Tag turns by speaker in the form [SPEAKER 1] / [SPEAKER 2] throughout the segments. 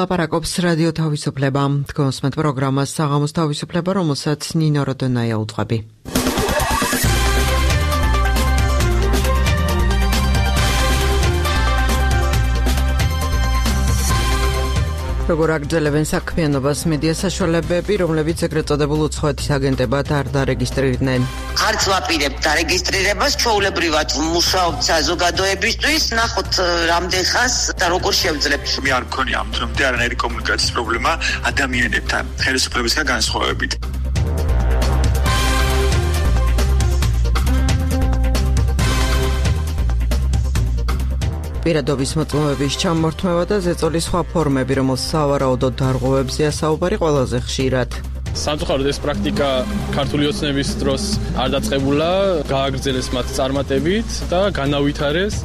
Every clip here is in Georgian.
[SPEAKER 1] ლაპარაკობს რადიო თავისუფლება. თქვენსმენთ პროგრამას საღამოს თავისუფლება, რომელსაც ნინო როდონაია უძღვები. როგორ აგრძელებენ საქმიანობას მედია საშუალებები, რომლებიც ეგრეთ წოდებულ უცხოეთის აგენტებად არ დარეგისტრირდნენ.
[SPEAKER 2] არც ვაპირებთ დარეგისტრირებას, ჩვეულებრივად ვმუშაობთ საზოგადოებისთვის, ნახოთ რამდენ ხანს და როგორ შევძლებთ.
[SPEAKER 3] მე არ მქონია ამ დრომდე არანაირი კომუნიკაციის პრობლემა ადამიანებთან, ხელისუფლებისგან განსხვავებით.
[SPEAKER 1] პირადობის მოწმობების ჩამორთმევა და ზეწოლის სხვა ფორმები, რომელს სავარაუდოდ დარღვევებზეა საუბარი ყველაზე ხშირად.
[SPEAKER 4] სამწუხაროდ ეს პრაქტიკა ქართული ოცნების დროს არ დაწყებულა, გააგრძელეს მათ წარმატებით და განავითარეს.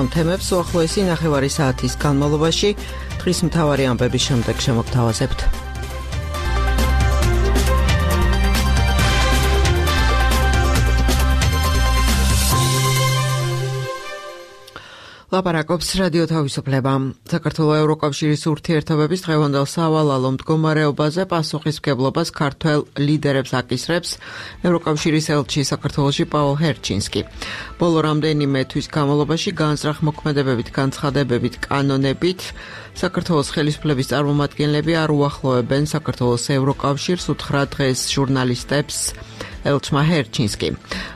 [SPEAKER 1] ამ თემებს უახლოესი ნახევარი საათის განმავლობაში დღის მთავარი ამბების შემდეგ შემოგთავაზებთ. ლაპარაკობს რადიო თავისუფლება. საქართველოს ევროკავშირის ურთიერთობების დღევანდელ სავალალო მდგომარეობაზე პასუხისმგებლობას ქართველ ლიდერებს აკისრებს ევროკავშირის ელჩი საქართველოში პაულ ჰერჩინსკი. ბოლო რამდენიმე თვის განმავლობაში განზრახ მოქმედებებით, განცხადებებით, კანონებით საქართველოს ხელისუფლების წარმომადგენლები არ უახლოვებენ საქართველოს ევროკავშირს, უთხრა დღეს ჟურნალისტებს ელჩმა ჰერჩინსკი.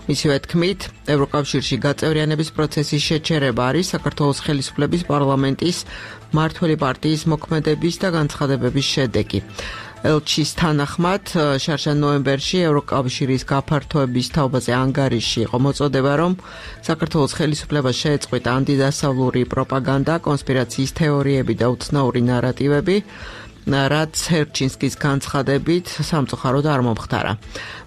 [SPEAKER 1] მისივე თქმით, ევროკავშირში გაწევრიანების პროცესის შეჩერება არის საქართველოს ხელისუფლების პარლამენტის მმართველი პარტიის მოქმედების და განცხადებების შედეგი. ელჩის თანახმად, შარშან ნოემბერში ევროკავშირის გაფართოების თაობაზე ანგარიში იყო მოწოდება, რომ საქართველოს ხელისუფლებას შეეწყვიტა ანტიდასავლური პროპაგანდა, კონსპირაციის თეორიები და უცნაური ნარატივები, რაც ჰერჩინსკის განცხადებით სამწუხაროდ არ მომხდარა.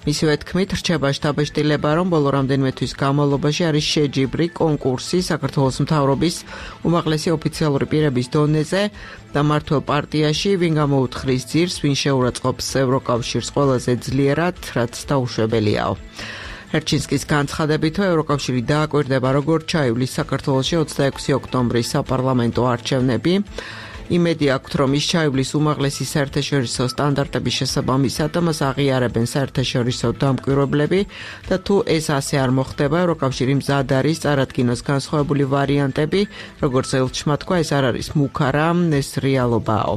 [SPEAKER 1] მისივე თქმით, რჩება შთაბეჭდილება, რომ ბოლო რამდენიმე თვის განმავლობაში არის შეჯიბრი კონკურსი საქართველოს მთავრობის უმაღლესი ოფიციალური პირების დონეზე და მმართველ პარტიაში, ვინ გამოუთხრის ძირს, ვინ შეურაცხყოფს ევროკავშირს ყველაზე ძლიერად, რაც დაუშვებელიაო. ჰერჩინსკის განცხადებით, ევროკავშირი დააკვირდება, როგორ ჩაივლის საქართველოში 26 ოქტომბრის საპარლამენტო არჩევნები. იმედი აქვთ, რომ ის ჩაივლის უმაღლესი საერთაშორისო სტანდარტების შესაბამისად და მას აღიარებენ საერთაშორისო დამკვირვებლები და თუ ეს ასე არ მოხდება, ევროკავშირი მზად არის წარადგინოს განსხვავებული ვარიანტები, როგორც ელჩმა თქვა, ეს არ არის მუქარა, ეს რეალობაო.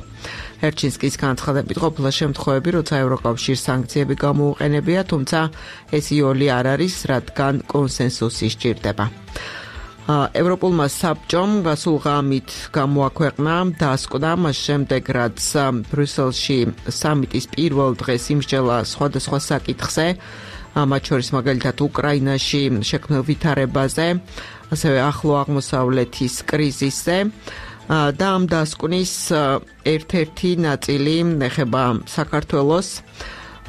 [SPEAKER 1] ჰერჩინსკის განცხადებით ყოფილა შემთხვევები, როცა ევროკავშირს სანქციები გამოუყენებია, თუმცა ეს იოლი არ არის, რადგან კონსენსუსი სჭირდება. ევროპულმა საბჭომ გასულ ღამით გამოაქვეყნა დასკვნა, მას შემდეგ რაც ბრიუსელში სამიტის პირველ დღეს იმსჯელა სხვადასხვა საკითხზე, მათ შორის მაგალითად უკრაინაში შექმნილ ვითარებაზე, ასევე ახლო აღმოსავლეთის კრიზისზე და ამ დასკვნის ერთ-ერთი ნაწილი ეხება საქართველოს.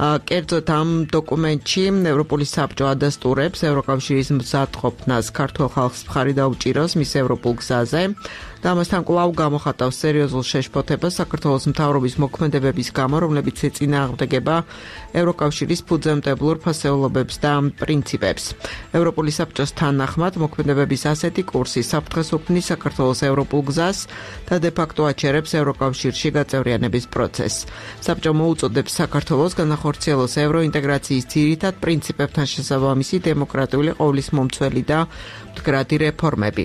[SPEAKER 1] კერძოდ ამ დოკუმენტში ევროპული საბჭო ადასტურებს ევროკავშირის მზადყოფნას ქართულ ხალხს მხარი დაუჭიროს მის ევროპულ გზაზე და ამასთან კვლავ გამოხატავს სერიოზულ შეშფოთებას საქართველოს მთავრობის მოქმედებების გამო, რომლებიც ეწინააღმდეგება ევროკავშირის ფუძემდებლურ ფასეულობებს და პრინციპებს. ევროპული საბჭოს თანახმად მოქმედებების ასეთი კურსი საფრთხეს უქმნის საქართველოს ევროპულ გზას და დე-ფაქტო აჩერებს ევროკავშირში გაწევრიანების პროცესს. საბჭო მოუწოდებს საქართველოს განახორციელოს ევროინტეგრაციის ძირითად პრინციპებთან შესაბამისი დემოკრატიული ყოვლისმომცველი და მდგრადი რეფორმები.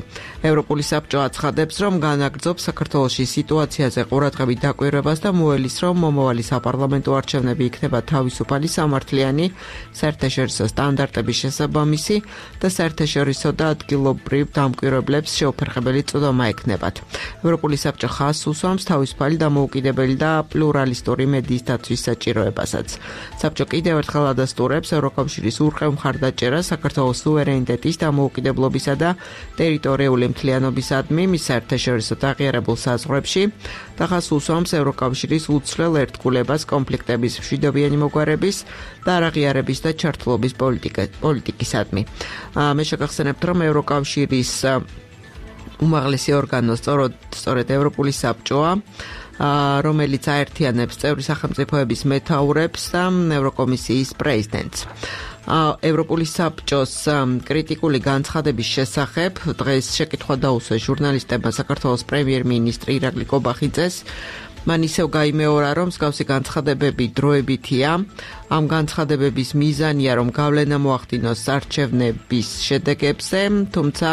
[SPEAKER 1] ევროპული საბჭო აცხადებს, რომ განაგრძობს საქართველოში სიტუაციაზე ყურადღებით დაკვირვებას და მოელის, რომ მომავალი საპარლამენტო არჩევნები იქნება თავისუფალი, სამართლიანი, საერთაშორისო სტანდარტების შესაბამისი და საერთაშორისო და ადგილობრივ დამკვირვებლებს შეუფერხებელი წვდომა ექნებათ. ევროპული საბჭო ხაზს უსვამს თავისუფალი, დამოუკიდებელი და პლურალისტური მედიის დაცვის საჭიროებასაც. საბჭო კიდევ ერთხელ ადასტურებს ევროკავშირის ურყევ მხარდაჭერას საქართველოს სუვერენიტეტის, დამოუკიდებლობისა და ტერიტორიული მთლიანობისადმი მის საერთაშორისო აღიარებულ საზღვრებში და ხაზს უსვამს ევროკავშირის უცვლელ ერთგულებას კონფლიქტების მშვიდობიანი მოგვარების და არაღიარების და ჩართულობის პოლიტიკისადმი. მე შეგახსენებთ, რომ ევროკავშირის უმაღლესი ორგანო სწორედ ევროპული საბჭოა, რომელიც აერთიანებს წევრი სახელმწიფოების მეთაურებს და ევროკომისიის პრეზიდენტს. ევროპული საბჭოს კრიტიკული განცხადების შესახებ დღეს შეკითხვა დაუსვეს ჟურნალისტებმა საქართველოს პრემიერ-მინისტრი ირაკლი კობახიძეს. მან ისევ გაიმეორა, რომ მსგავსი განცხადებები დროებითია. ამ განცხადებების მიზანია, რომ გავლენა მოახდინოს არჩევნების შედეგებზე, თუმცა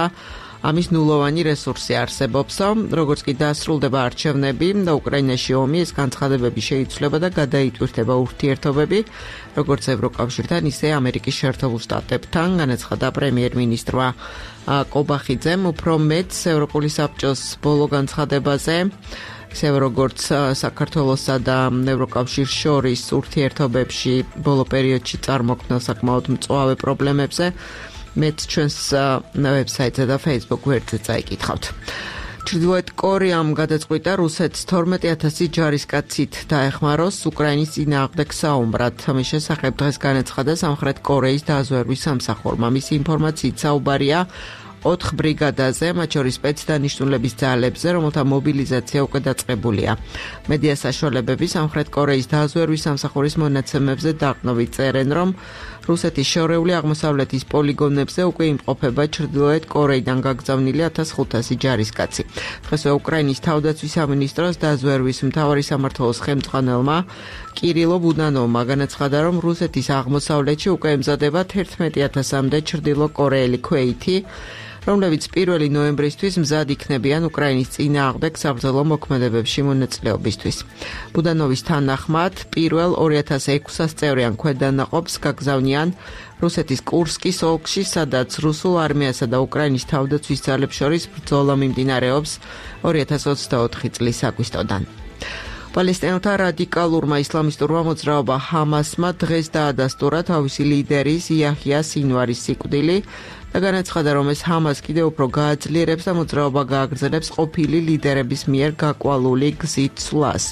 [SPEAKER 1] ამის ნულოვანი რესურსი არსებობს, როგორც კი დასრულდება არჩევნები და უკრაინაში ომი, ეს განცხადებები შეიცვლება და გადაიტვირთება ურთიერთობები, როგორც ევროკავშირთან, ისე ამერიკის შეერთებულ შტატებთან, განაცხადა პრემიერ-მინისტრმა კობახიძემ, უფრო მეტს ევროპული საბჭოს ბოლო განცხადებაზე, ისევე როგორც საქართველოსა და ევროკავშირს შორის ურთიერთობებში ბოლო პერიოდში წარმოქმნილ საკმაოდ მწვავე პრობლემებზე მეც ჩვენს ვებსაიტზე და Facebook გვერდზე წაიკითხავთ. ჩრდილოეთ კორეამ გადაწყვიტა რუსეთს 12,000 ჯარისკაცით დაეხმაროს უკრაინის წინააღმდეგ საომრად. ამის შესახებ დღეს განაცხადა სამხრეთ კორეის დაზვერვის სამსახურმა. მისი ინფორმაციით საუბარია 4 ბრიგადაზე, მათ შორის სპეცდანიშნულების ძალებზე, რომელთა მობილიზაცია უკვე დაწყებულია. მედია საშუალებები სამხრეთ კორეის დაზვერვის სამსახურის მონაცემებზე დაყრდნობით წერენ, რომ რუსეთის შორეული აღმოსავლეთის პოლიგონებზე უკვე იმყოფება ჩრდილოეთ კორეიდან გაგზავნილი 1500 ჯარისკაცი. დღესვე უკრაინის თავდაცვის სამინისტროს დაზვერვის მთავარი სამმართველოს ხელმძღვანელმა კირილო ბუდანოვმა განაცხადა, რომ რუსეთის აღმოსავლეთში უკვე ემზადება 11,000-მდე ჩრდილო კორეელი ქვეითი, რომლებიც 1 ნოემბრისთვის მზად იქნებიან უკრაინის წინააღმდეგ საბრძოლო მოქმედებებში მონაწილეობისთვის. ბუდანოვის თანახმად, პირველ 2600 წევრიან ქვედანაყოფს გაგზავნიან რუსეთის კურსკის ოლქში, სადაც რუსულ არმიასა და უკრაინის თავდაცვის ძალებს შორის ბრძოლა მიმდინარეობს 2024 წლის აგვისტოდან. პალესტინელთა რადიკალურმა ისლამისტურმა მოძრაობა ჰამასმა დღეს დაადასტურა თავისი ლიდერის იაჰია სინვარის სიკვდილი და განაცხადა, რომ ეს ჰამას კიდევ უფრო გააძლიერებს და მოძრაობა გააგრძელებს ყოფილი ლიდერების მიერ გაკვალული გზით სვლას.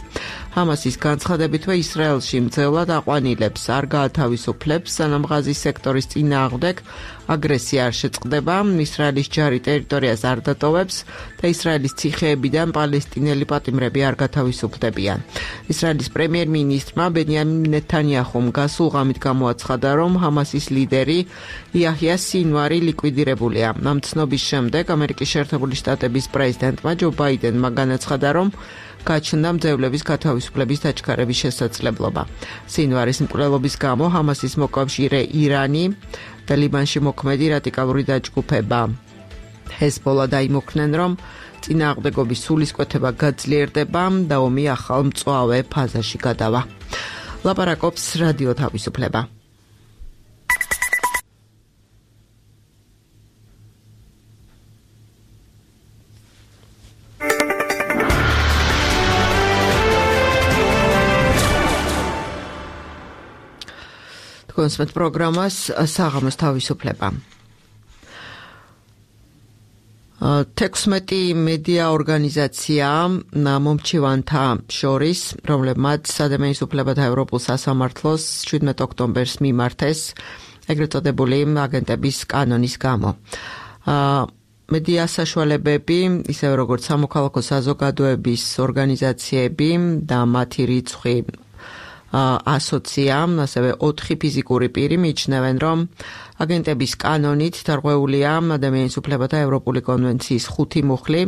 [SPEAKER 1] ჰამასის განცხადებითვე ისრაელში მძევლად აყვანილებს არ გაათავისუფლებს, სანამ ღაზის სექტორის წინააღმდეგ აგრესია არ შეწყდება, ისრაელის ჯარი ტერიტორიას არ დატოვებს და ისრაელის ციხეებიდან პალესტინელი პატიმრები არ გათავისუფლდებიან. ისრაელის პრემიერ-მინისტრმა ბენიამინ ნეთანიაჰუმ გასულ ღამით გამოაცხადა, რომ ჰამასის ლიდერი იაჰია სინვარი ლიკვიდირებულია. ამ ცნობის შემდეგ ამერიკის შეერთებული შტატების პრეზიდენტმა ჯო ბაიდენმა განაცხადა, რომ გაჩნდა მძევლების გათავისუფლების დაჩქარების შესაძლებლობა. სინვარის მკვლელობის გამო ჰამასის მოკავშირე ირანი და ლიბანში მოქმედი რადიკალური დაჯგუფება ჰეზბოლა დაიმოქმნენ, რომ წინააღმდეგობის სულისკვეთება გაძლიერდება და ომი ახალ მწვავე ფაზაში გადავა. ლაპარაკობს რადიო თავისუფლება. კონსმეთ პროგრამას საღამოს თავისუფლება. 16 მედია ორგანიზაცია მომჩივანთა შორის, რომლებმაც ადამიანის უფლებათა ევროპულ სასამართლოს 17 ოქტომბერს მიმართეს ეგრეთ წოდებული აგენტების კანონის გამო. მედია საშუალებები, ისევე როგორც სამოქალაქო საზოგადოების ორგანიზაციები და მათი რიცხვი ასოციამ, ასევე 4 ფიზიკური პირი მიიჩნევენ, რომ აგენტების კანონით დარღვეულია ადამიანის უფლებათა ევროპული კონვენციის 5 მუხლი,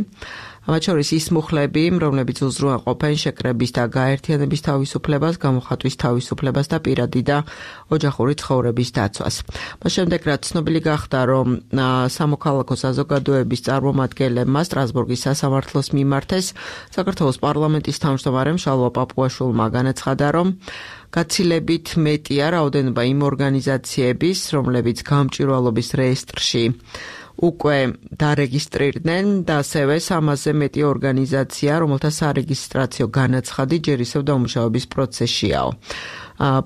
[SPEAKER 1] მათ შორის ის მუხლები, რომლებიც უზრუნველყოფენ შეკრების და გაერთიანების თავისუფლებას, გამოხატვის თავისუფლებას და პირადი და ოჯახური ცხოვრების დაცვას. მას შემდეგ, რაც ცნობილი გახდა, რომ სამოქალაქო საზოგადოების წარმომადგენლებმა სტრასბურგის სასამართლოს მიმართეს, საქართველოს პარლამენტის თავმჯდომარემ შალვა პაპუაშვილმა განაცხადა, რომ გაცილებით მეტია რაოდენობა იმ ორგანიზაციების, რომლებიც გამჭვირვალობის რეესტრში უკვე დარეგისტრირდნენ და ასევე 300-ზე მეტი ორგანიზაცია, რომელთა სარეგისტრაციო განაცხადი ჯერ ისევ დამუშავების პროცესშიაო.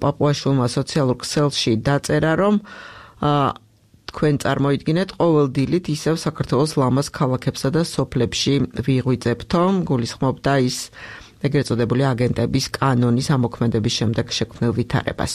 [SPEAKER 1] პაპუაშვილმა სოციალურ ქსელში დაწერა, რომ თქვენ წარმოიდგინეთ ყოველ დილით ისევ საქართველოს ლამაზ ქალაქებსა და სოფლებში ვიღვიძებთო, გულისხმობდა ის ეგრეთ წოდებული აგენტების კანონის ამოქმედების შემდეგ შექმნილ ვითარებას.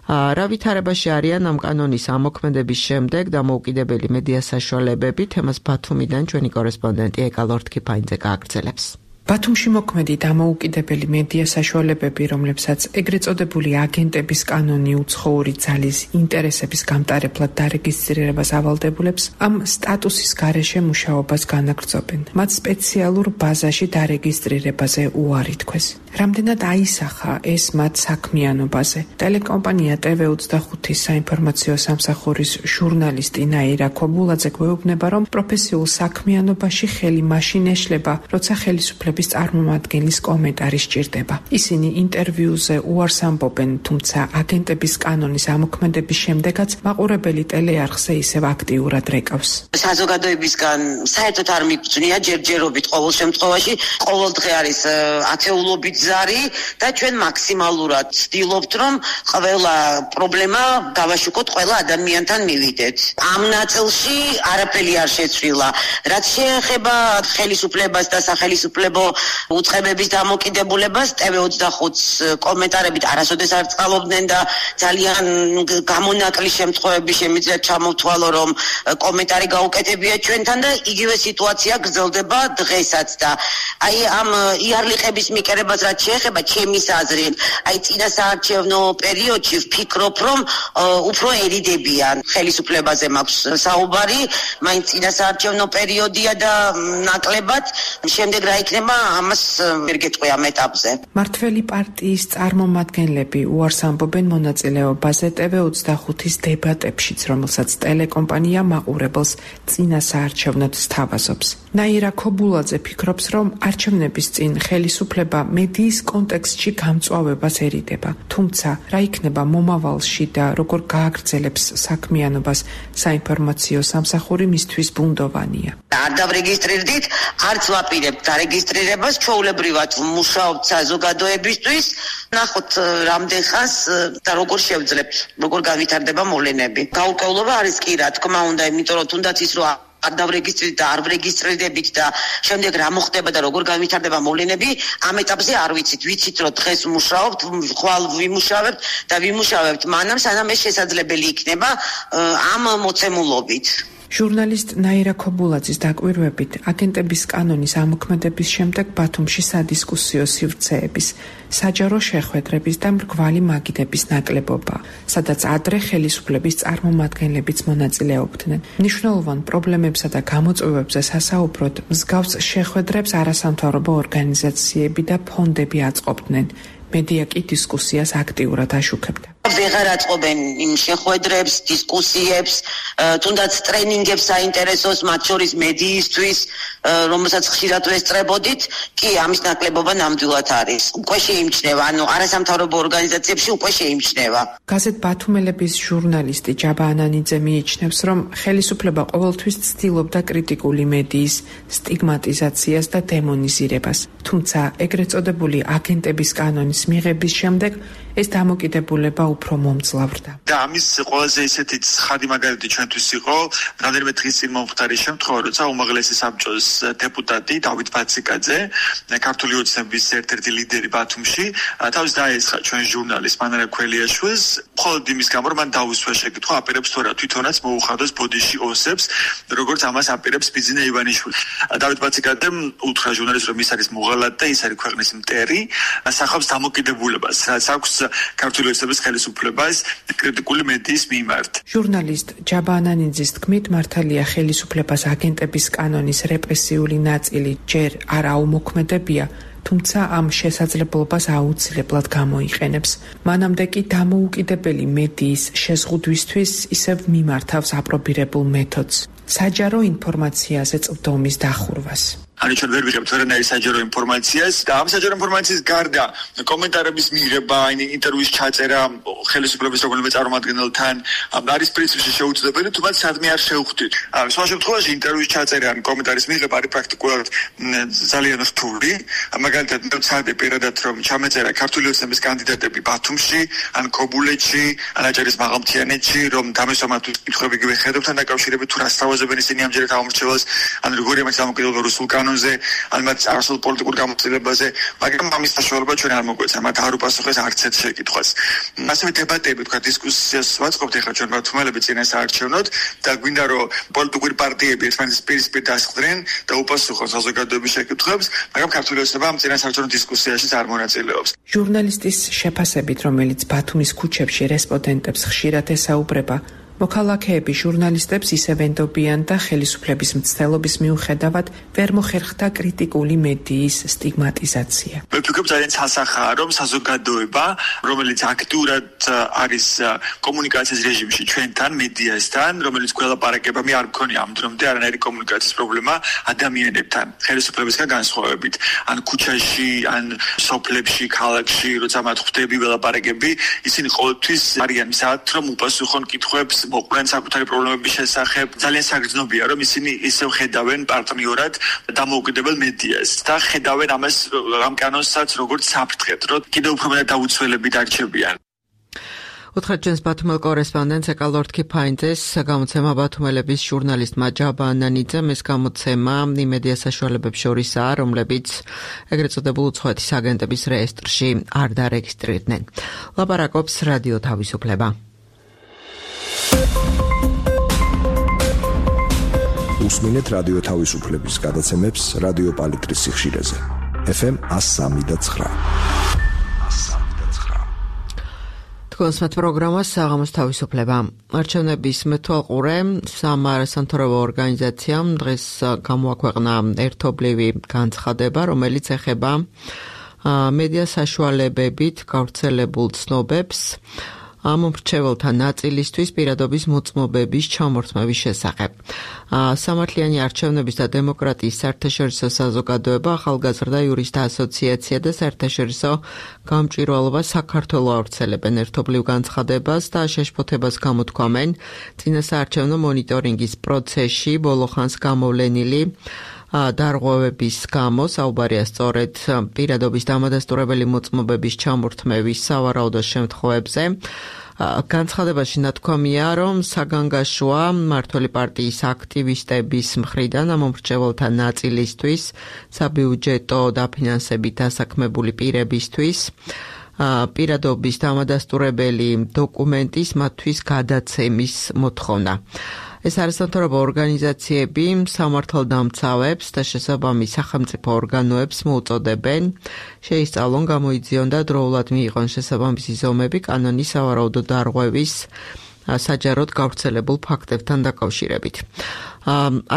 [SPEAKER 1] რა ვითარებაში არიან ამ კანონის ამოქმედების შემდეგ დამოუკიდებელი მედია საშუალებები, თემას ბათუმიდან ჩვენი კორესპონდენტი ეკა ლორთქიფაინძე გააგრძელებს.
[SPEAKER 5] ბათუმში მოქმედი დამოუკიდებელი მედია საშუალებები, რომლებსაც ეგრეთ წოდებული აგენტების კანონი უცხოური ძალის ინტერესების გამტარებლად დარეგისტრირებას ავალდებულებს, ამ სტატუსის გარეშე მუშაობას განაგრძობენ. მათ სპეციალურ ბაზაში დარეგისტრირებაზე უარი თქვეს. რამდენად აისახა ეს მათ საქმიანობაზე? ტელეკომპანია TV25-ის საინფორმაციო სამსახურის ჟურნალისტი ნაირა ქობულაძე გვეუბნება, რომ პროფესიულ საქმიანობაში ხელი მაშინ ეშლება, როცა ხელისუფლების წარმომადგენლის კომენტარი სჭირდება. ისინი ინტერვიუზე უარს ამბობენ, თუმცა აგენტების კანონის ამოქმედების შემდეგაც მაყურებელი ტელეარხზე ისევ აქტიურად რეკავს.
[SPEAKER 2] საზოგადოებისგან საერთოდ არ მიგწვნია ჯერჯერობით ყოველ შემთხვევაში, ყოველ დღე არის ათეულობით ზარი და ჩვენ მაქსიმალურად ვცდილობთ, რომ ყველა პრობლემა გავაშუქოთ, ყველა ადამიანთან მივიდეთ. ამ ნაწილში არაფერი არ შეცვლილა. რაც შეეხება ხელისუფლებას და სახელისუფლებო უწყებების დამოკიდებულებას, TV25-ს კომენტარებით არასოდეს არ წყალობდნენ და ძალიან გამონაკლი შემთხვევები შემიძლია ჩამოვთვალო, რომ კომენტარი გაუკეთებია ჩვენთან და იგივე სიტუაცია გრძელდება დღესაც და აი ამ იარლიყების მიკერებას რაც შეეხება ჩემის აზრით, აი წინასაარჩევნო პერიოდში ვფიქრობ, რომ უფრო ერიდებიან ხელისუფლებაზე მაქვს საუბარი, მაინც წინასაარჩევნო პერიოდია და ნაკლებად შემდეგ რა იქნება ამას ვერ გეტყვი ამ ეტაპზე.
[SPEAKER 5] მართველი პარტიის წარმომადგენლები უარს ამბობენ მონაწილეობაზე TV25-ის დებატებშიც, რომელსაც ტელეკომპანია მაყურებელს წინასაარჩევნოდ სთავაზობს. ნაირა ქობულაძე ფიქრობს, რომ არჩევნების წინ ხელისუფლება მედიის კონტექსტში გამწვავებას ერიდება. თუმცა, რა იქნება მომავალში და როგორ გააგრძელებს საქმიანობას საინფორმაციო სამსახური მისთვის ბუნდოვანია.
[SPEAKER 2] არ დავრეგისტრირდით, არც ვაპირებთ დარეგისტრირებას, ჩვეულებრივად ვმუშაობთ საზოგადოებისთვის. ნახოთ რამდენ ხანს და როგორ შევძლებთ, როგორ გავითარდება მოვლენები. გაურკვევლობა არის კი რა თქმა უნდა, იმიტომ რომ თუნდაც ის რომ არ დავრეგისტრირდით და არ ვრეგისტრირდებით და შემდეგ რა მოხდება და როგორ გავითარდება მოვლენები, ამ ეტაპზე არ ვიცით. ვიცით რომ დღეს ვმუშაობთ, ხვალ ვიმუშავებთ და ვიმუშავებთ მანამ, სანამ ეს შესაძლებელი იქნება ამ მოცემულობით.
[SPEAKER 5] ჟურნალისტ ნაირა ქობულაძის დაკვირვებით, აგენტების კანონის ამოქმედების შემდეგ ბათუმში სადისკუსიო სივრცეების, საჯარო შეხვედრების და მრგვალი მაგიდების ნაკლებობა, სადაც ადრე ხელისუფლების წარმომადგენლებიც მონაწილეობდნენ. მნიშვნელოვან პრობლემებსა და გამოწვევებზე სასაუბროდ მსგავს შეხვედრებს არასამთავრობო ორგანიზაციები და ფონდები აწყობდნენ. მედია კი დისკუსიას აქტიურად აშუქებდა.
[SPEAKER 2] ვეღარ აწყობენ იმ შეხვედრებს, დისკუსიებს, თუნდაც ტრენინგებს საინტერესოს, მათ შორის მედიისთვის, რომელსაც ხშირად ვესწრებოდით, კი ამის ნაკლებობა ნამდვილად არის. უკვე შეიმჩნევა, ანუ არასამთავრობო ორგანიზაციებში უკვე შეიმჩნევა.
[SPEAKER 5] გაზეთ ბათუმელების ჟურნალისტი ჯაბა ანანიძე მიიჩნევს, რომ ხელისუფლება ყოველთვის ცდილობდა კრიტიკული მედიის სტიგმატიზაციას და დემონიზირებას. თუმცა ეგრეთ წოდებული აგენტების კანონის მიღების შემდეგ ეს დამოკიდებულება უფრო მომძლავრდა.
[SPEAKER 3] და ამის ყველაზე ისეთი ცხადი მაგალითი ჩვენთვის იყო რამდენიმე დღის წინ მომხდარი შემთხვევა, როცა უმაღლესი საბჭოს დეპუტატი დავით ბაციკაძე, ქართული ოცნების ერთ-ერთი ლიდერი ბათუმში, თავის დაესხა ჩვენ ჟურნალისტ მანარა ქველიაშვილს, მხოლოდ იმის გამო, რომ მან დაუსვა შეკითხვა, აპირებს თუ არა თვითონაც მოუხადოს ბოდიში ოსებს, როგორც ამას აპირებს ბიძინა ივანიშვილი. დავით ბაციკაძემ უთხრა ჟურნალისტს, რომ ის არის მოღალატე და ის არის ქვეყნის მტერი, სახობს დამოკიდებულებას, რაც აქვს ქართული ოცნების ხელისუფლებას კრიტიკული მედიის მიმართ.
[SPEAKER 5] ჟურნალისტ ჯაბა ანანიძის თქმით, მართალია ხელისუფლებას აგენტების კანონის რეპრესიული ნაწილი ჯერ არ აუმოქმედებია, თუმცა ამ შესაძლებლობას აუცილებლად გამოიყენებს. მანამდე კი დამოუკიდებელი მედიის შეზღუდვისთვის ისევ მიმართავს აპრობირებულ მეთოდს, საჯარო ინფორმაციაზე წვდომის დახურვას.
[SPEAKER 3] ანუ ჩვენ ვერ ვიღებთ ვერანაირ საჯარო ინფორმაციას და ამ საჯარო ინფორმაციის გარდა კომენტარების მიღება, ინტერვიუის ჩაწერა ხელისუფლების რომელიმე წარმომადგენელთან არის პრინციპში შეუძლებელი, თუმცა სადმე არ შევხვდით. სხვა შემთხვევაში ინტერვიუის ჩაწერა ან კომენტარის მიღება არის პრაქტიკულად ძალიან რთული. მაგალითად, ვცადე პირადად რომ ჩამეწერა ქართული ოცნების კანდიდატები ბათუმში, ან ქობულეთში, ან აჭარის მაღალმთიანეთში, რომ დამესვამათ კითხვები გიხედავთან დაკავშირებით თუ რა სთავაზობენ ისინი ამჯერად ამორჩევალს, ან როგორია მათ დამოკიდებულება რუსულ კანონში ფონზე, ან მათ არასოდეს პოლიტიკურ გამოცდილებაზე, მაგრამ ამის საშუალება ჩვენ არ მოგვეცა, მათ არ უპასუხეს არც ერთ შეკითხვას. ასევე დებატები, თქვა დისკუსიას ვაწყობთ ახლა ჩვენ მართლმელები წინასაარჩევნოდ და გვინდა რომ პოლიტიკური პარტიები ერთმანეთის პირისპირ დასხდნენ და უპასუხონ საზოგადოების შეკითხვებს, მაგრამ ქართული ოცნება ამ წინასაარჩევნო დისკუსიაში არ მონაწილეობს.
[SPEAKER 5] ჟურნალისტის შეფასებით, რომელიც ბათუმის ქუჩებში რესპონდენტებს ხშირად ესაუბრება, მოქალაქეები ჟურნალისტებს ისევ ენდობიან და ხელისუფლების მცდელობის მიუხედავად ვერ მოხერხდა კრიტიკული მედიის სტიგმატიზაცია.
[SPEAKER 3] მე ვფიქრობ ძალიან სასახაა, რომ საზოგადოება, რომელიც აქტიურად არის კომუნიკაციის რეჟიმში ჩვენთან, მედიასთან, რომელიც გველაპარაკება, მე არ მქონია ამ დრომდე არანაირი კომუნიკაციის პრობლემა ადამიანებთან, ხელისუფლებისგან განსხვავებით. ან ქუჩაში, ან სოფლებში, ქალაქში, როცა მათ ხვდები ველაპარაკები, ისინი ყოველთვის არიან მზად, რომ უპასუხონ კითხვებს მოყვნენ საკუთარი პრობლემების შესახებ. ძალიან საგრძნობია, რომ ისინი ისევ ხედავენ პარტნიორად დამოუკიდებელ მედიას და ხედავენ ამას ამ კანონსაც როგორც საფრთხეთ, რომ კიდევ უფრო მეტად დაუცველები დარჩებიან.
[SPEAKER 1] უთხრეთ ჩვენს ბათუმელ კორესპონდენტს ეკალორდ ქიფაინძეს, გამოცემა ბათუმელების ჟურნალისტმა ჯაბა ანანიძემ, ეს გამოცემა იმედია საშუალებებს შორისაა, რომლებიც ეგრეთ წოდებულ უცხოეთის აგენტების რეესტრში არ დარეგისტრირდნენ. ლაპარაკობს რადიო თავისუფლება.
[SPEAKER 6] უსმინეთ რადიო თავისუფლების გადაცემებს რადიო პალიტრის სიხშირეზე. FM 103.9.
[SPEAKER 1] თქვენსმათ პროგრამას საღამოს თავისუფლება. არჩევნების მეთვალყურე სამარასამთავრობო ორგანიზაციამ დღეს გამოაქვეყნა ერთობლივი განცხადება, რომელიც ეხება მედია საშუალებებით გავრცელებულ ცნობებს ამომრჩეველთა ნაწილისთვის პირადობის მოწმობების ჩამორთმევის შესახებ. სამართლიანი არჩევნების და დემოკრატიის საერთაშორისო საზოგადოება, ახალგაზრდა იურისტთა ასოციაცია და საერთაშორისო გამჭვირვალობა საქართველოს ავრცელებენ ერთობლივ განცხადებას და შეშფოთებას გამოთქვამენ წინასაარჩევნო მონიტორინგის პროცესში ბოლო ხანს გამოვლენილი დარღვევების გამო, საუბარია სწორედ პირადობის დამადასტურებელი მოწმობების ჩამორთმევის სავარაუდო შემთხვევებზე. განცხადებაში ნათქვამია, რომ საგანგაშოა მმართველი პარტიის აქტივისტების მხრიდან ამომრჩეველთა ნაწილისთვის საბიუჯეტო დაფინანსებით დასაქმებული პირებისთვის პირადობის დამადასტურებელი დოკუმენტის მათთვის გადაცემის მოთხოვნა. ეს არასამთავრობო ორგანიზაციები სამართალდამცავებს და შესაბამის სახელმწიფო ორგანოებს მოუწოდებენ შეისწავლონ, გამოიძიონ და დროულად მიიღონ შესაბამისი ზომები კანონის სავარაუდო დარღვევის საჯაროდ გავრცელებულ ფაქტებთან დაკავშირებით.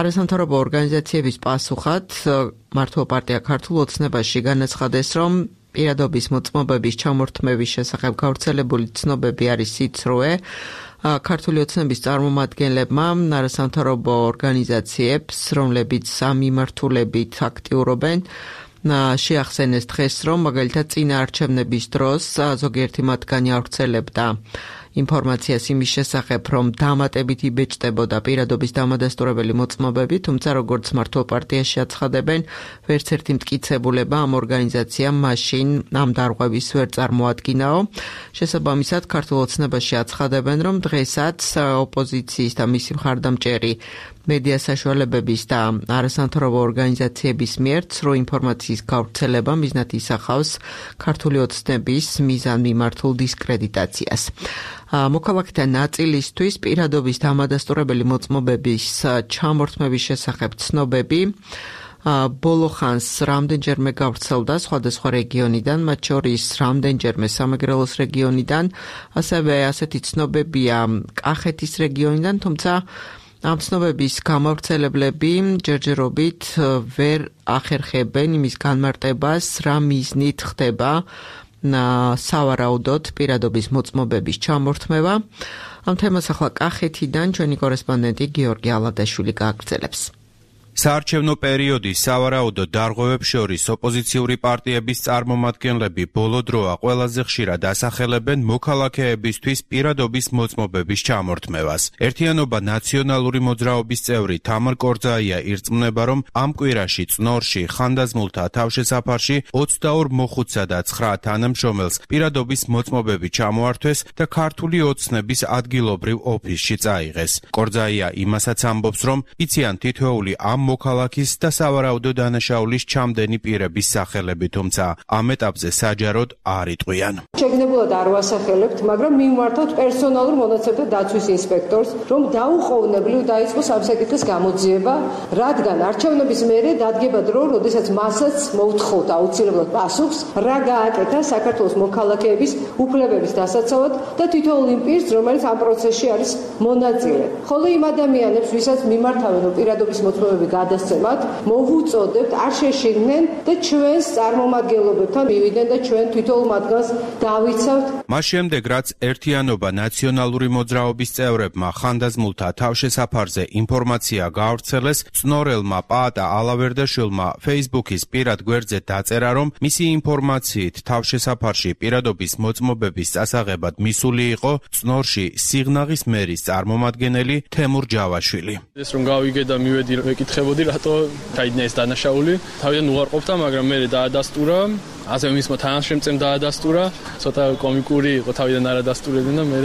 [SPEAKER 1] არასამთავრობო ორგანიზაციების პასუხად მართლ პარტია ქართულ ოცნებაში განაცხადეს, რომ პირადობის მოწმობების ჩამორთმევის შესახებ გავრცელებული ცნობები არის სიცრუე. ქართული ოცნების წარმომადგენლებმა არასამთავრობო ორგანიზაციებს, რომლებიც ამ მიმართულებით აქტიურობენ, შეახსენეს დღეს, რომ მაგალითად წინა არჩევნების დროს ზოგიერთი მათგანი ავრცელებდა ინფორმაციას იმის შესახებ, რომ დამატებით იბეჭდებოდა პირადობის დამადასტურებელი მოწმობები, თუმცა როგორც მართლ პარტიაში აცხადებენ, ვერც ერთი მტკიცებულება ამ ორგანიზაციამ მაშინ ამ დარღვევის ვერ წარმოადგინაო. შესაბამისად, ქართულ ოცნებაში აცხადებენ, რომ დღესაც ოპოზიციის და მისი მხარდამჭერი მედია საშუალებების და არასამთავრობო ორგანიზაციების მიერ ცრუ ინფორმაციის გავრცელება მიზნად ისახავს ქართული ოცნების მიზანმიმართულ დისკრედიტაციას. მოქალაქეთა ნაწილისთვის პირადობის დამადასტურებელი მოწმობების ჩამორთმევის შესახებ ცნობები ბოლო ხანს რამდენჯერმე გავრცელდა სხვადასხვა რეგიონიდან, მათ შორის რამდენჯერმე სამეგრელოს რეგიონიდან, ასევე ასეთი ცნობებია კახეთის რეგიონიდან, თუმცა ამ ცნობების გამავრცელებლები ჯერჯერობით ვერ ახერხებენ იმის განმარტებას, რა მიზნით ხდება სავარაუდოდ პირადობის მოწმობების ჩამორთმევა. ამ თემას ახლა კახეთიდან ჩვენი კორესპონდენტი გიორგი ალადაშვილი გააგრძელებს.
[SPEAKER 7] საარჩევნო პერიოდის სავარაუდო დარღვევებს შორის ოპოზიციური პარტიების წარმომადგენლები ბოლო დროა ყველაზე ხშირად ასახელებენ მოქალაქეებისთვის პირადობის მოწმობების ჩამორთმევას. ერთიანობა ნაციონალური მოძრაობის წევრი თამარ კორძაია ირწმუნება, რომ ამ კვირაში წნორში ხანდაზმულთა თავშესაფარში 22 მოხუცსა და 9 თანამშრომელს პირადობის მოწმობები ჩამოართვეს და ქართული ოცნების ადგილობრივ ოფისში წაიღეს. კორძაია იმასაც ამბობს, რომ იციან თითოეული ამ მოქალაქის და სავარაუდო დანაშაულის ჩამდენი პირების სახელები, თუმცა ამ ეტაპზე საჯაროდ არ იტყვიან.
[SPEAKER 8] შეგნებულად არ ვასახელებთ, მაგრამ მიმართავთ პერსონალურ მონაცემთა დაცვის ინსპექტორს, რომ დაუყოვნებლივ დაიწყოს ამ საკითხის გამოძიება, რადგან არჩევნების მერე დადგება დრო, როდესაც მასაც მოუთხოვთ აუცილებლად პასუხს, რა გააკეთა საქართველოს მოქალაქეების უფლებების დასაცავად და თითოეულ იმ პირს, რომელიც ამ პროცესში არის მონაწილე. ხოლო იმ ადამიანებს, ვისაც მიმართავენ, რომ პირადობის მოწმობები გადასცემათ, მოვუწოდებთ, არ შეშინდნენ და ჩვენს წარმომადგენლობებთან მივიდნენ და ჩვენ თითოეულ მათგანს დავიცავთ.
[SPEAKER 7] მას შემდეგ, რაც ერთიანობა ნაციონალური მოძრაობის წევრებმა ხანდაზმულთა თავშესაფარზე ინფორმაცია გაავრცელეს, წნორელმა პაატა ალავერდაშვილმა Facebook-ის პირად გვერდზე დაწერა, რომ მისი ინფორმაციით თავშესაფარში პირადობის მოწმობების წასაღებად მისული იყო წნორში სიღნაღის მერის წარმომადგენელი თემურ ჯავაშვილი.
[SPEAKER 4] ეს რომ გავიგე და მივედი ვეკითხებოდი, რატო დაიდგა ეს დანაშაული. თავიდან უარყოფდა, მაგრამ მე დაადასტურა. ასე მისმა თანაშემწემ დაადასტურა, ცოტა კომიკური იყო, თავიდან არ ადასტურებდნენ და მე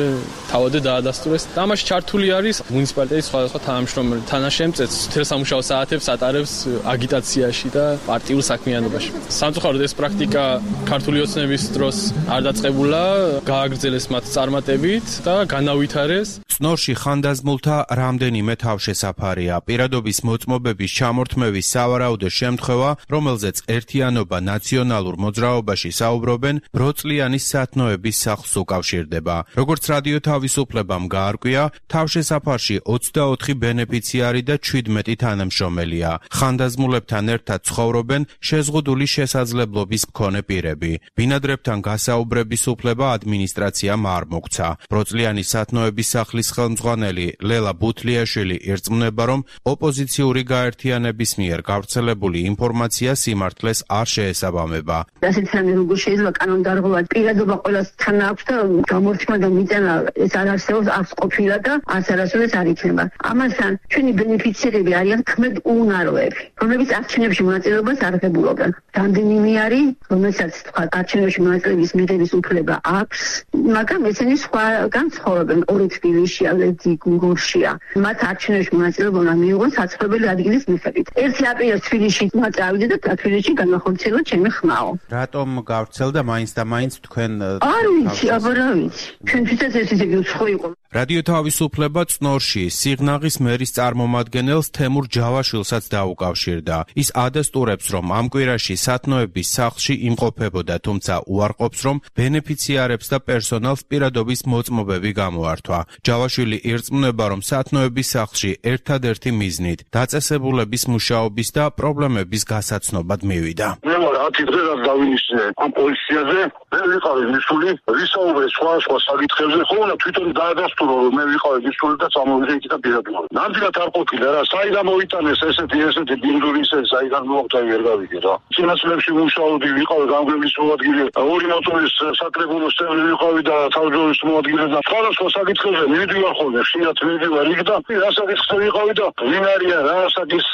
[SPEAKER 4] თავადე დაადასტურეს. და ამაში ჩართული არის მუნიციპალიტეტის სხვადასხვა თანამშრომელი. თანაშემწეც მთელ სამუშაო საათებს ატარებს აგიტაციაში და პარტიულ საქმიანობაში. სამწუხაროდ ეს პრაქტიკა ქართული ოცნების დროს არ დაწყებულა, გააგრძელეს მათ წარმატებით და განავითარეს.
[SPEAKER 7] წნორში ხანდაზმულთა რამდენიმე თავშესაფარია. პირადობის მოწმობების ჩამორთმევის სავარაუდო შემთხვევა, რომელზეც ერთიანობა ნაციონალურ მოძრაობაში საუბრობენ, ბროწლიანის სათნოების სახლს უკავშირდება. როგორც რადიო თავისუფლებამ გაარკვია, თავშესაფარში 24 ბენეფიციარი და 17 თანამშრომელია. ხანდაზმულებთან ერთად ცხოვრობენ შეზღუდული შესაძლებლობის მქონე პირები. ბინადრებთან გასაუბრების უფლება ადმინისტრაციამ არ მოგცა. ბროწლიანის სათნოების სახლის ხელმძღვანელი ლელა ბუთლიაშვილი ირწმუნება, რომ ოპოზიციური გაერთიანების მიერ გავრცელებული ინფორმაცია სიმართლეს არ შეესაბამება.
[SPEAKER 9] ასეთ რამე როგორ შეიძლება კანონდარღვევად პირადობა ყველასთან აქვს და გამორჩება და მიწენა ეს არ არსებობს, აქვს ყოფილა და არასოდეს არ იქნება. ამასთან ჩვენი ბენეფიციარები არიან ქმედ უუნაროები, რომლებიც არჩევნებში მონაწილეობას არ ღებულობენ. რამდენიმე არის, რომელსაც თქვა არჩევნებში მონაწილეობის მიღების უფლება აქვს, მაგრამ ესენი სხვაგან ცხოვრობენ, ორი თბილისში, ალედი გურშია. მათ არჩევნებში მონაწილეობა უნდა მიიღონ საცხოვრებელი ადგილის მიხედვით. ერთი აპრილს თბილისში წავიდე და თბილისში განახორციელა ჩემი ხმაო.
[SPEAKER 7] რატომ გავრცელდა მაინც და მაინც თქვენ
[SPEAKER 9] არ ვიცი, აბა რა ვიცი. ჩვენთვისაც ეს ისე უცხო იყო.
[SPEAKER 7] რადიო თავისუფლება წნორში სიღნაღის მერის წარმომადგენელს თემურ ჯავაშვილსაც დაუკავშირდა. ის ადასტურებს, რომ ამ კვირაში სათნოების სახლში იმყოფებოდა, თუმცა უარყოფს, რომ ბენეფიციარებს და პერსონალს პირადობის მოწმობები გამოართვა. ჯავაშვილი ირწმუნება, რომ სათნოების სახლში ერთადერთი მიზნით დაწესებულების მუშაობის და პრობლემების გასაცნობად მივიდა.
[SPEAKER 10] მე ვარ 10 დღე რაც დავინიშნე ამ პოლიციაზე, მე ვიყავი მისული, ვისაუბრე სხვა საკითხებზე, ხოლმე თვითონ დაადასტურო, რომ მე ვიყავი მისული და წამოვიდე იქიდან პირადულად. ნამდვილად არ ყოფილა რა, საიდან მოიტანეს ესეთი ბინდურისე, საიდან მოხდა ვერ გავიგე რა. წინასწრებში მუშაობდი, ვიყავი გამგებლის მოადგილე, ორი მოტორის საკრებულოს წევრი ვიყავი და თავჯდომის მოადგილე და სხვადასხვა საკითხებზე მივიდივარ ხოლმე, ხშირად მივიდივარ იქ და რა საკითხზე ვიყავი და ვინ არიან, რა საკითხის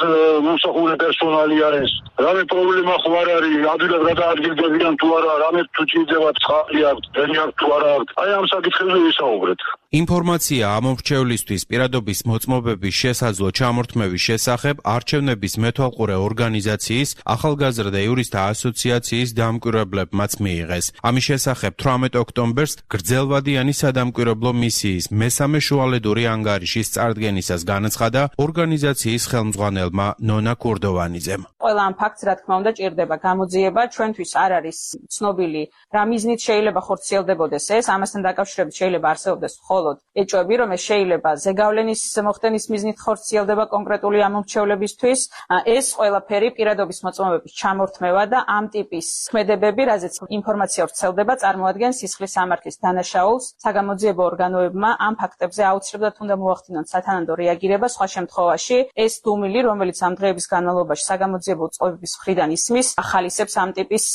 [SPEAKER 10] მომსახურე პერსონალი არის, რამე პრობლემა ხო არ არის, ადვილად გადაადგილდებიან თუ არა, რამე თუ ჭირდება წყალი აქვს, დენი აქვს თუ არა აქვს. აი ამ საკითხებზე ვისაუბრეთ.
[SPEAKER 7] ინფორმაცია ამორჩევლისთვის პირადობის მოწმობების შესაძლო ჩამორთმევის შესახებ არჩევნების მეთვალყურე ორგანიზაციის ახალგაზრდა იურისტთა ასოციაციის დამკვირვებლებმაც მიიღეს. ამის შესახებ 18 ოქტომბერს გრძელვადიანი სადამკვირვებლო მისიის მესამე შუალედური ანგარიშის წარდგენისას განაცხადა ორგანიზაციის ხელმძღვანელმა ნონა კურდოვანიძემ.
[SPEAKER 11] ყველა ამ ფაქტს რა თქმა უნდა ჭირდება გამოძიება, ჩვენთვის არ არის ცნობილი რა მიზნით შეიძლება ხორციელდებოდეს ეს, ამასთან დაკავშირებით შეიძლება არსებობდეს მხოლოდ ეჭვები, რომ ეს შეიძლება ზეგავლენის მოხდენის მიზნით ხორციელდება კონკრეტული ამორჩევლებისთვის. ეს ყველაფერი პირადობის მოწმობების ჩამორთმევა და ამ ტიპის ქმედებები, რაზეც ინფორმაცია ვრცელდება, წარმოადგენს სისხლის სამართლის დანაშაულს. საგამოძიებო ორგანოებმა ამ ფაქტებზე აუცილებლად უნდა მოახდინონ სათანადო რეაგირება, სხვა შემთხვევაში ეს დუმილი, რომელიც ამ დღეების განმავლობაში საგამოძიებო უწყობების მხრიდან ისმის, ახალისებს ამ ტიპის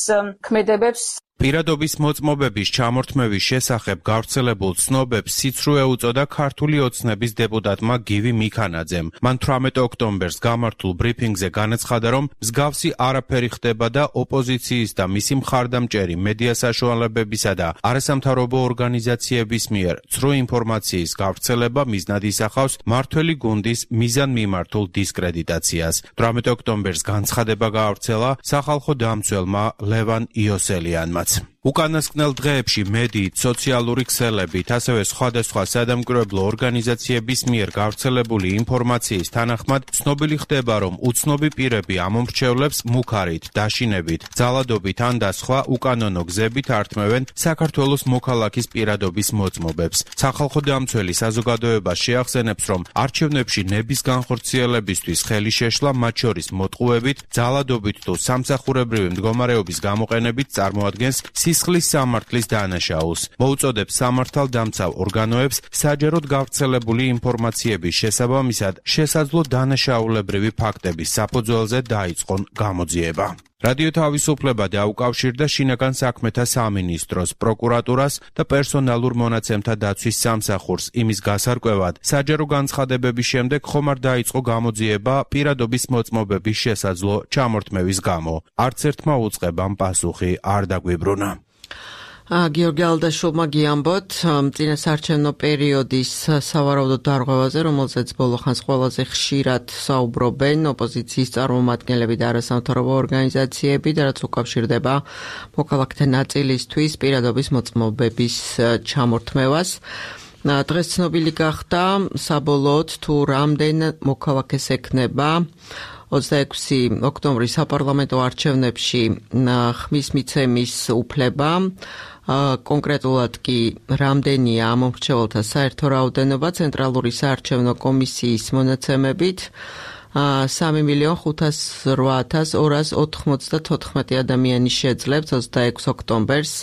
[SPEAKER 11] ქმედებებს.
[SPEAKER 7] პირადობის მოწმობების ჩამორთმევის შესახებ გავრცელებულ ცნობებს სიცრუე უწოდა ქართული ოცნების დეპუტატმა გივი მიქანაძემ. მან 18 ოქტომბერს გამართულ ბრიფინგზე განაცხადა, რომ მსგავსი არაფერი ხდება და ოპოზიციის და მისი მხარდამჭერი მედია საშუალებებისა და არასამთავრობო ორგანიზაციების მიერ ცრუ ინფორმაციის გავრცელება მიზნად ისახავს მმართველი გუნდის მიზანმიმართულ დისკრედიტაციას. 18 ოქტომბერს განცხადება გაავრცელა სახალხო დამცველმა ლევან იოსელიანმა. უკანასკნელ დღეებში მედიით, სოციალური ქსელებით, ასევე სხვადასხვა სადამკვირვებლო ორგანიზაციების მიერ გავრცელებული ინფორმაციის თანახმად ცნობილი ხდება, რომ უცნობი პირები ამომრჩევლებს მუქარით, დაშინებით, ძალადობით ან და სხვა უკანონო გზებით ართმევენ საქართველოს მოქალაქის პირადობის მოწმობებს. სახალხო დამცველი საზოგადოება შეახსენებს, რომ არჩევნებში ნების განხორციელებისთვის ხელი შეშლა, მათ შორის მოტყუებით, ძალადობით თუ სამსახურებრივი მდგომარეობის გამოყენებით წარმოადგენს სისხლის სამართლის დანაშაულს. მოუწოდებს სამართალდამცავ ორგანოებს საჯაროდ გავრცელებული ინფორმაციების შესაბამისად შესაძლო დანაშაულებრივი ფაქტების საფუძველზე დაიწყონ გამოძიება. რადიო თავისუფლება დაუკავშირდა შინაგან საქმეთა სამინისტროს, პროკურატურას და პერსონალურ მონაცემთა დაცვის სამსახურს იმის გასარკვევად, საჯარო განცხადებების შემდეგ ხომ არ დაიწყო გამოძიება პირადობის მოწმობების შესაძლო ჩამორთმევის გამო. არც ერთმა უწყებამ პასუხი არ დაგვიბრუნა.
[SPEAKER 1] გიორგი ალდაშულმა გიამბოთ წინასაარჩევნო პერიოდის სავარაუდო დარღვევაზე, რომელზეც ბოლო ხანს ყველაზე ხშირად საუბრობენ ოპოზიციის წარმომადგენლები და არასამთავრობო ორგანიზაციები და რაც უკავშირდება მოქალაქეთა ნაწილისთვის პირადობის მოწმობების ჩამორთმევას. დღეს ცნობილი გახდა საბოლოოდ თუ რამდენ მოქალაქეს ექნება 26 ოქტომბრის საპარლამენტო არჩევნებში ხმის მიცემის უფლება. კონკრეტულად კი რამდენია ამომრჩეველთა საერთო რაოდენობა ცენტრალური საარჩევნო კომისიის მონაცემებით 3.508.294 ადამიანი შეძლებს 26 ოქტომბერს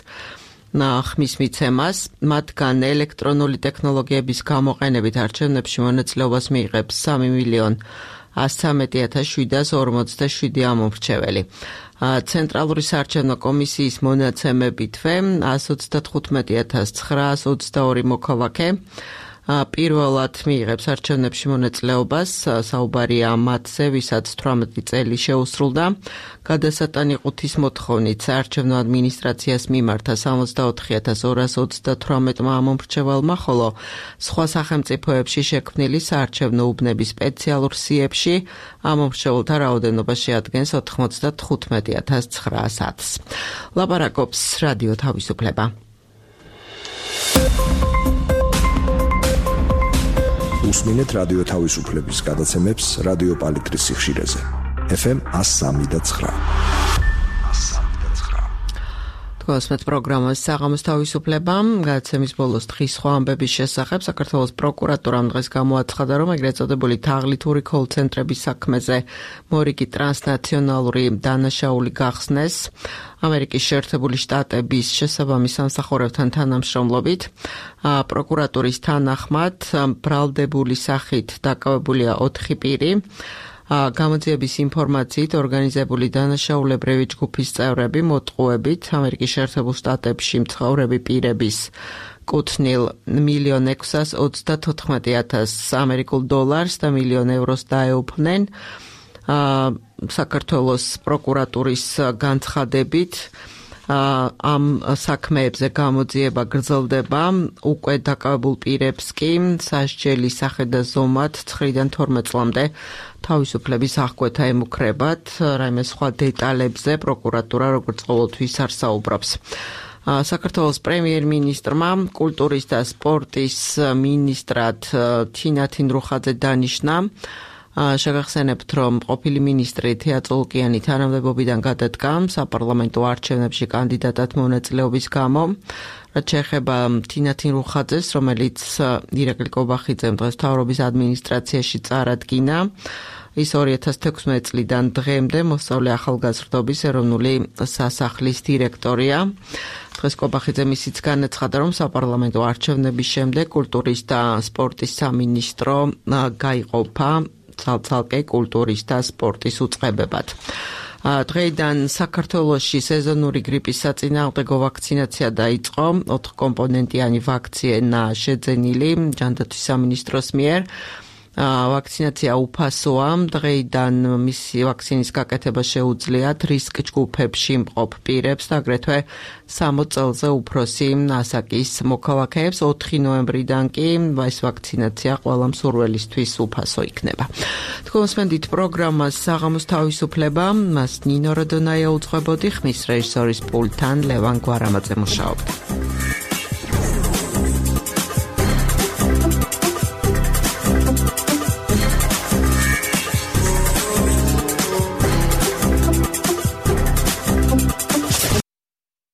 [SPEAKER 1] ხმის მიცემას, მათგან ელექტრონული ტექნოლოგიების გამოყენებით არჩევნებში მონაწილეობას მიიღებს 3.113.747 ამომრჩეველი. ცენტრალური საარჩევნო კომისიის მონაცემებითვე 135.922 მოქალაქე პირველად მიიღებს არჩევნებში მონაწილეობას, საუბარია მათზე, ვისაც 18 წელი შეუსრულდა. გადასატანიყუთვის მოთხოვნით საარჩევნო ადმინისტრაციას მიმართა 64.238 ამომრჩეველმა, ხოლო სხვა სახელმწიფოებში შექმნილი საარჩევნო უბნების სპეციალურ სიებში ამომრჩეველთა რაოდენობა შეადგენს 95.900-ს. ლაპარაკობს რადიო თავისუფლება.
[SPEAKER 6] უსმინეთ რადიო თავისუფლების გადაცემებს რადიო პალიტრის სიხშირეზე. FM 103.9.
[SPEAKER 1] თქვენს პროგრამას საღამოს თავისუფლება, გადაცემის ბოლოს დღის სხვა ამბების შესახებ საქართველოს პროკურატურამ დღეს გამოაცხადა, რომ ეგრეთ წოდებული თაღლითური კოლ-ცენტრების საქმეზე მორიგი ტრანსნაციონალური დანაშაული გახსნეს ამერიკის შეერთებული შტატების შესაბამის სამსახურებთან თანამშრომლობით. პროკურატურის თანახმად ბრალდებული სახით დაკავებულია 4 პირი. გამოძიების ინფორმაციით ორგანიზებული დანაშაულებრივი ჯგუფის წევრები მოტყუებით ამერიკის შეერთებულ შტატებში მცხოვრები პირების კუთვნილ $1,634,000 ამერიკულ დოლარს და $1,000,000 დაეუფლნენ. საქართველოს პროკურატურის განცხადებით ამ საქმეებზე გამოძიება გრძელდება, უკვე დაკავებულ პირებს კი სასჯელის სახე და ზომად 9-დან 12 წლამდე თავისუფლების აღკვეთა ემუქრებათ. რაიმე სხვა დეტალებზე პროკურატურა როგორც ყოველთვის არ საუბრობს. საქართველოს პრემიერ-მინისტრმა კულტურის და სპორტის მინისტრად თინა თინდრუხაძე დანიშნა. შეგახსენებთ, რომ ყოფილი მინისტრი თეა წულკიანი თანამდებობიდან გადადგა საპარლამენტო არჩევნებში კანდიდატად მონაწილეობის გამო. რაც შეეხება თინა თინდრუხაძეს, რომელიც ირაკლი კობახიძემ დღეს მთავრობის ადმინისტრაციაში წარადგინა, ის 2016 წლიდან დღემდე მოსწავლე ახალგაზრდობის ეროვნული სასახლის დირექტორია. დღეს კობახიძემ ისიც განაცხადა, რომ საპარლამენტო არჩევნების შემდეგ კულტურის და სპორტის სამინისტრო გაიყოფა ცალ-ცალკე კულტურის და სპორტის უწყებებად. დღეიდან საქართველოში სეზონური გრიპის საწინააღმდეგო ვაქცინაცია დაიწყო 4 კომპონენტიანი ვაქცინა შეძენილი ჯანდაცვის სამინისტროს მიერ ვაქცინაცია უფასოა დღეიდან მისი ვაქცინის გაკეთება შეუძლიათ რისკ ჯგუფებში მყოფ პირებს და აგრეთვე 60 წელზე უფროსი ასაკის მოქალაქეებს 4 ნოემბრიდან კი ეს ვაქცინაცია ყველა მსურველისთვის უფასო იქნება. თქვენსმენდით პროგრამას საღამოს თავისუფლება მას ნინო როდონაია უძღვებოდი ხმის რეჟისორის პულტთან ლევან გვარამაძე მუშაობდა.